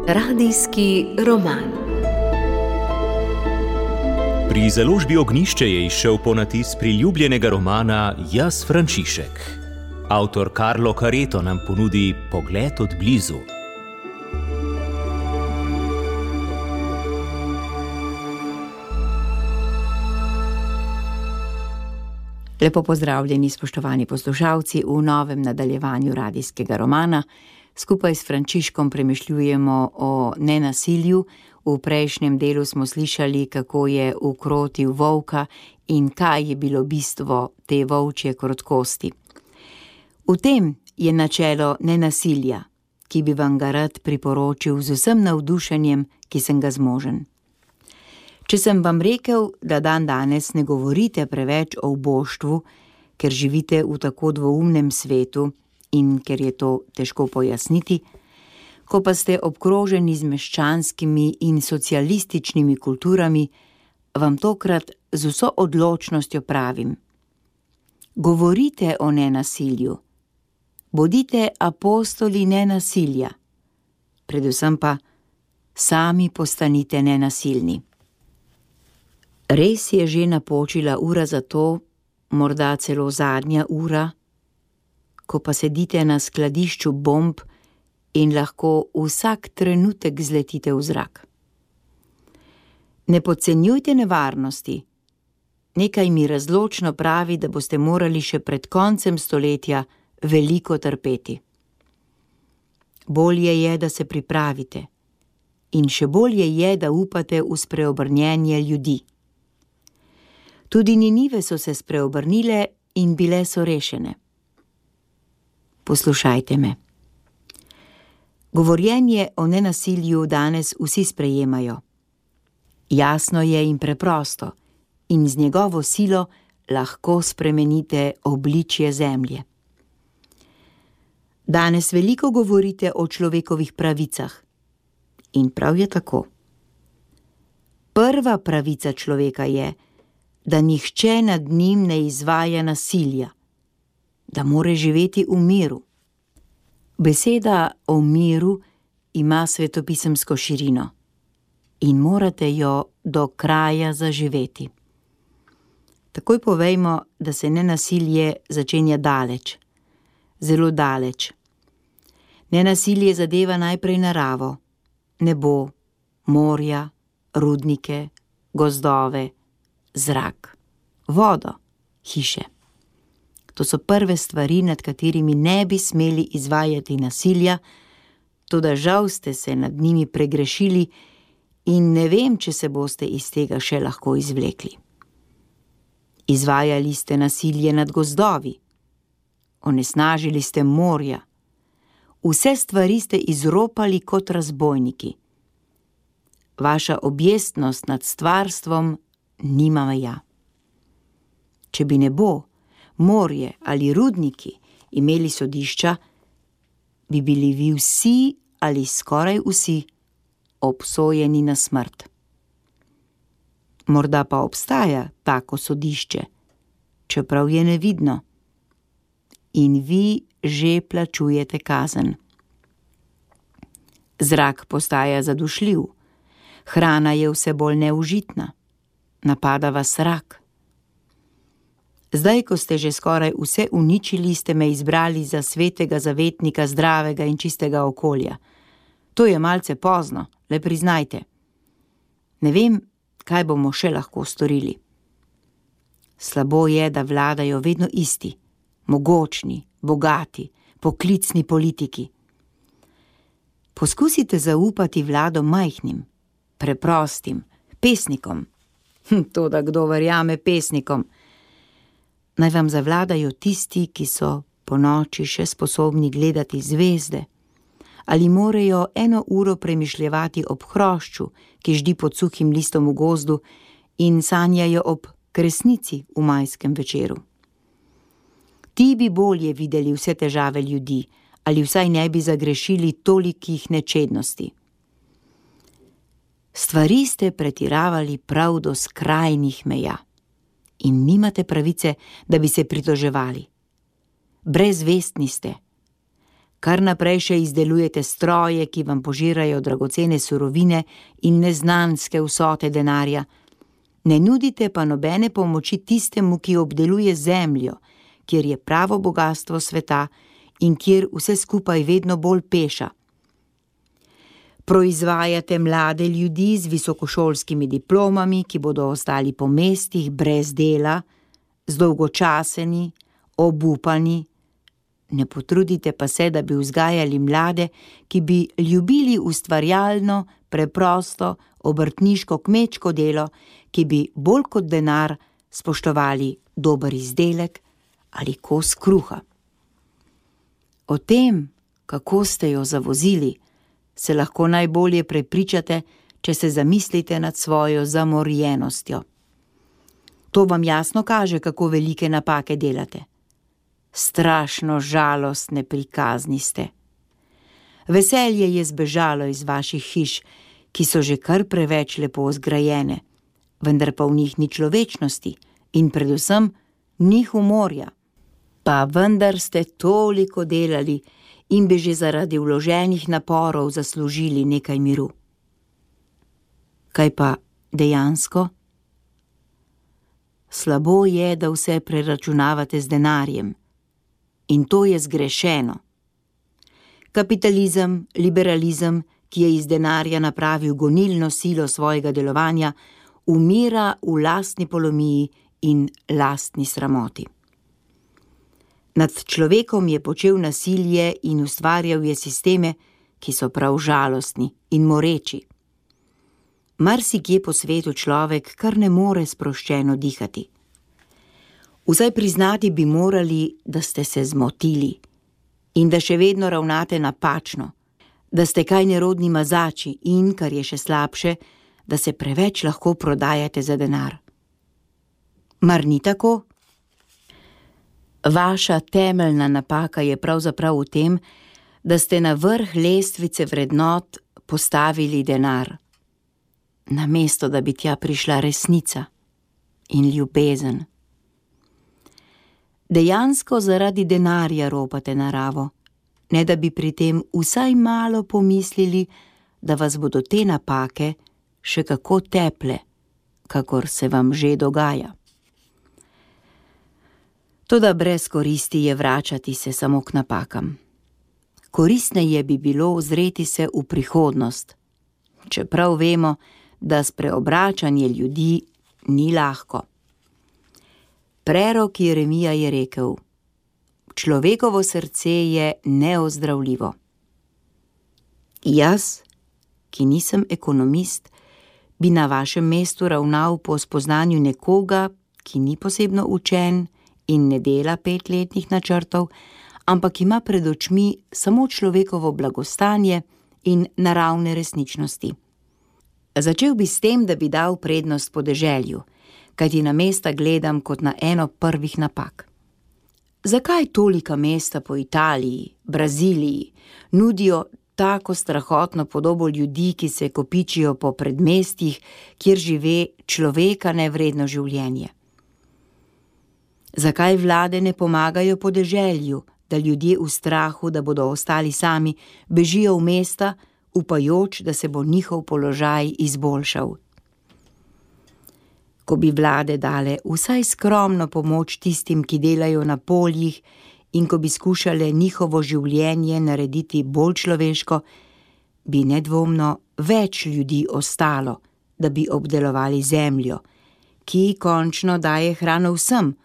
Radijski roman. Pri založbi Ognjišče je izšel ponatis priljubljenega romana Jaz Frančišek. Avtor Carlo Careto nam ponudi pogled od blizu. Lepo pozdravljeni, spoštovani poslušalci, v novem nadaljevanju radijskega romana. Skupaj s Frančiškom premišljujemo o nenasilju. V prejšnjem delu smo slišali, kako je ukrotil volka in kaj je bilo bistvo te volčje krotkosti. V tem je načelo nenasilja, ki bi vam ga rad priporočil z vsem navdušenjem, ki sem ga zmožen. Če sem vam rekel, da danes ne govorite preveč o uboštvu, ker živite v tako dvoumnem svetu in ker je to težko pojasniti, ko pa ste obkroženi z meščanskimi in socialističnimi kulturami, vam tokrat z vso odločnostjo pravim: govorite o nenasilju, bodite apostoli nenasilja, predvsem pa sami postanite nenasilni. Res je že napočila ura za to, morda celo zadnja ura, ko pa sedite na skladišču bomb in lahko vsak trenutek zletite v zrak. Ne podcenjujte nevarnosti. Nekaj mi razločno pravi, da boste morali še pred koncem stoletja veliko trpeti. Bolje je, da se pripravite, in še bolje je, da upate v spreobrnjenje ljudi. Tudi Ninive so se spreobrnile in bile so rešene. Poslušajte me. Govorjenje o nenasilju danes vsi sprejemajo. Jasno je in preprosto, in z njegovo silo lahko spremenite obličje zemlje. Danes veliko govorite o človekovih pravicah. In prav je tako. Prva pravica človeka je, da nihče nad njim ne izvaja nasilja, da more živeti v miru. Beseda o miru ima svetopisemsko širino in morate jo do kraja zaživeti. Takoj povejmo, da se nenasilje začenja daleč, zelo daleč. Nenasilje zadeva najprej naravo, nebo, morja, rudnike, gozdove, zrak, vodo, hiše. To so prve stvari, nad katerimi ne bi smeli izvajati nasilja, toda žal ste se nad njimi pregrešili in ne vem, če se boste iz tega še lahko izvlekli. Izvajali ste nasilje nad gozdovi, onesnažili ste morja, vse stvari ste izropali kot razbojniki. Vaša objestnost nad stvarstvom nima meja. Če bi nebo, morje ali rudniki imeli sodišča, bi bili vi vsi ali skoraj vsi obsojeni na smrt. Morda pa obstaja tako sodišče, čeprav je nevidno. In vi že plačujete kazen. Zrak postaja zadušljiv, hrana je vse bolj neužitna, napada vas rak. Zdaj, ko ste že skoraj vse uničili, ste me izbrali za svetega zavetnika zdravega in čistega okolja. To je malce pozno, le priznajte. Ne vem, kaj bomo še lahko storili. Slabo je, da vladajo vedno isti, mogočni, bogati, poklicni politiki. Poskusite zaupati vlado majhnim, preprostim, pesnikom. Toda kdo verjame pesnikom? Naj vam zavladajo tisti, ki so ponoči še sposobni gledati zvezde, ali morajo 1 uro premišljevati ob hrošču, ki ždi pod suhim listom v gozdu, in sanjajo ob kresnici v majskem večeru. Ti bi bolje videli vse težave ljudi, ali vsaj ne bi zagrešili tolikih nečednosti. Stvari ste pretiravali prav do skrajnih meja in nimate pravice, da bi se pritoževali. brezvestni ste. Kar naprej še izdelujete stroje, ki vam požirajo dragocene surovine in neznanske vsote denarja. Ne nudite pa nobene pomoči tistemu, ki obdeluje zemljo, kjer je pravo bogastvo sveta in kjer vse skupaj vedno bolj peša. Proizvajate mlade ljudi z visokošolskimi diplomami, ki bodo ostali po mestih brez dela, zdolgočaseni, obupani. Ne potrudite pa se, da bi vzgajali mlade, ki bi ljubili ustvarjalno, preprosto, obrtniško, kmečko delo, ki bi bolj kot denar spoštovali dober izdelek ali kos kruha. O tem, kako ste jo zavozili, se lahko najbolje prepričate, če se zamislite nad svojo zamorjenostjo. To vam jasno kaže, kako velike napake delate. Strašno žalostne prikazni ste. Veselje je zbežalo iz vaših hiš, ki so že kar preveč lepo zgrajene, vendar pa v njih ni človečnosti in predvsem ni humorja. Pa vendar ste toliko delali in bi že zaradi vloženih naporov zaslužili nekaj miru. Kaj pa dejansko? Slabo je, da vse preračunavate z denarjem. In to je zgrešeno. Kapitalizem, liberalizem, ki je iz denarja napravil gonilno silo svojega delovanja, umira v lastni polomiji in lastni sramoti. Nad človekom je počel nasilje in ustvarjal je sisteme, ki so prav žalostni in moreči. Marsikje po svetu človek kar ne more sproščeno dihati. Vsaj priznati bi morali, da ste se zmotili in da še vedno ravnate napačno, da ste kaj nerodni mazači in, kar je še slabše, da se preveč lahko prodajate za denar. Mar ni tako? Vaša temeljna napaka je pravzaprav v tem, da ste na vrh lestvice vrednot postavili denar, namesto da bi tja prišla resnica in ljubezen. Dejansko zaradi denarja ropate naravo, ne da bi pri tem vsaj malo pomislili, da vas bodo te napake še kako teple, kakor se vam že dogaja. Toda brez koristi je vračati se samo k napakam. Koristneje bi bilo ozreti se v prihodnost, čeprav vemo, da spreobračanje ljudi ni lahko. Prerok Jeremija je rekel: človekovo srce je neozdravljivo. Jaz, ki nisem ekonomist, bi na vašem mestu ravnal po spoznanju nekoga, ki ni posebno učen in ne dela 5-letnih načrtov, ampak ima pred očmi samo človekovo blagostanje in naravne resničnosti. Začel bi s tem, da bi dal prednost podeželju, kajti na mesta gledam kot na eno prvih napak. Zakaj tolika mesta po Italiji, Braziliji nudijo tako strahotno podobo ljudi, ki se kopičijo po predmestjih, kjer žive človeka nevredno življenje? Zakaj vlade ne pomagajo podeželju, da ljudje v strahu, da bodo ostali sami, bežijo v mesta, upajoč, da se bo njihov položaj izboljšal? Ko bi vlade dale vsaj skromno pomoč tistim, ki delajo na poljih, in ko bi skušale njihovo življenje narediti bolj človeško, bi nedvomno več ljudi ostalo, da bi obdelovali zemljo, ki končno daje hrano vsem,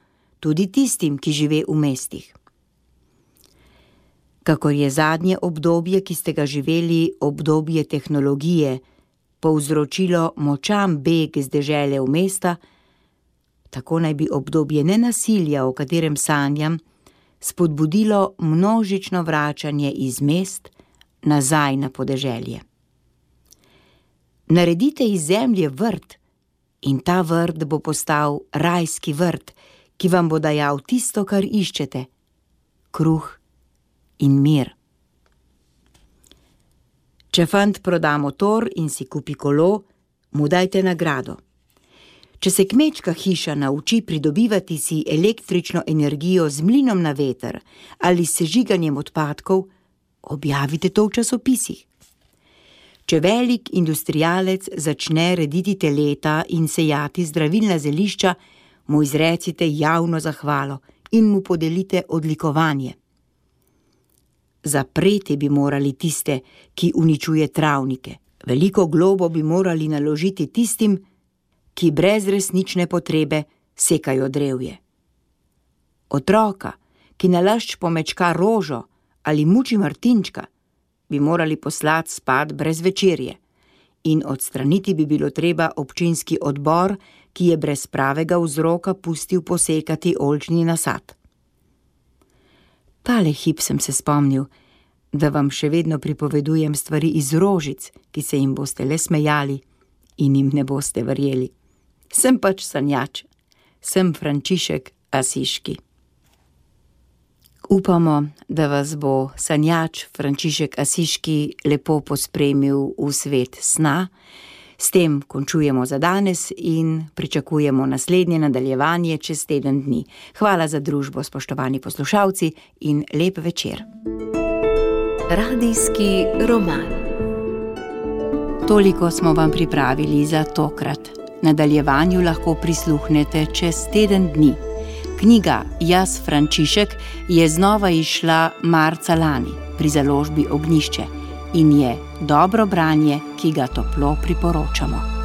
tudi tistim, ki žive v mestih. Kakor je zadnje obdobje, ki ste ga živeli, obdobje tehnologije, povzročilo močan beg z dežele v mesta, tako naj bi obdobje nenasilja, o katerem sanjam, spodbudilo množično vračanje iz mest nazaj na podeželje. Naredite iz zemlje vrt in ta vrt bo postal rajski vrt, ki vam bo dajal tisto, kar iščete, kruh in mir. Če fant proda motor in si kupi kolo, mu dajte nagrado. Če se kmečka hiša nauči pridobivati si električno energijo z mlinom na veter ali s sežiganjem odpadkov, objavite to v časopisih. Če velik industrialec začne rediti teleta in sejati zdravilna zelišča, mu izrecite javno zahvalo in mu podelite odlikovanje. Zapreti bi morali tiste, ki uničuje travnike. Veliko globo bi morali naložiti tistim, ki brez resnične potrebe sekajo drevje. Otroka, ki nalašč pomečka rožo ali muči martinčka, bi morali poslati spat brez večerje in odstraniti bi bilo treba občinski odbor, ki je brez pravega vzroka pustil posekati oljčni nasad. Tale hip sem se spomnil, da vam še vedno pripovedujem stvari iz rožic, ki se jim boste le smejali in jim ne boste verjeli. Sem pač sanjač, sem Frančišek Asiški. Upamo, da vas bo sanjač Frančišek Asiški lepo pospremil v svet sna. S tem končujemo za danes in pričakujemo naslednje nadaljevanje čez teden dni. Hvala za družbo, spoštovani poslušalci, in lep večer. Radijski roman. Toliko smo vam pripravili za tokrat. Nadaljevanju lahko prisluhnete čez teden dni. Knjiga Jaz Frančišek je znova izšla marca lani pri založbi Ognjišče in je dobro branje, ki ga toplo priporočamo.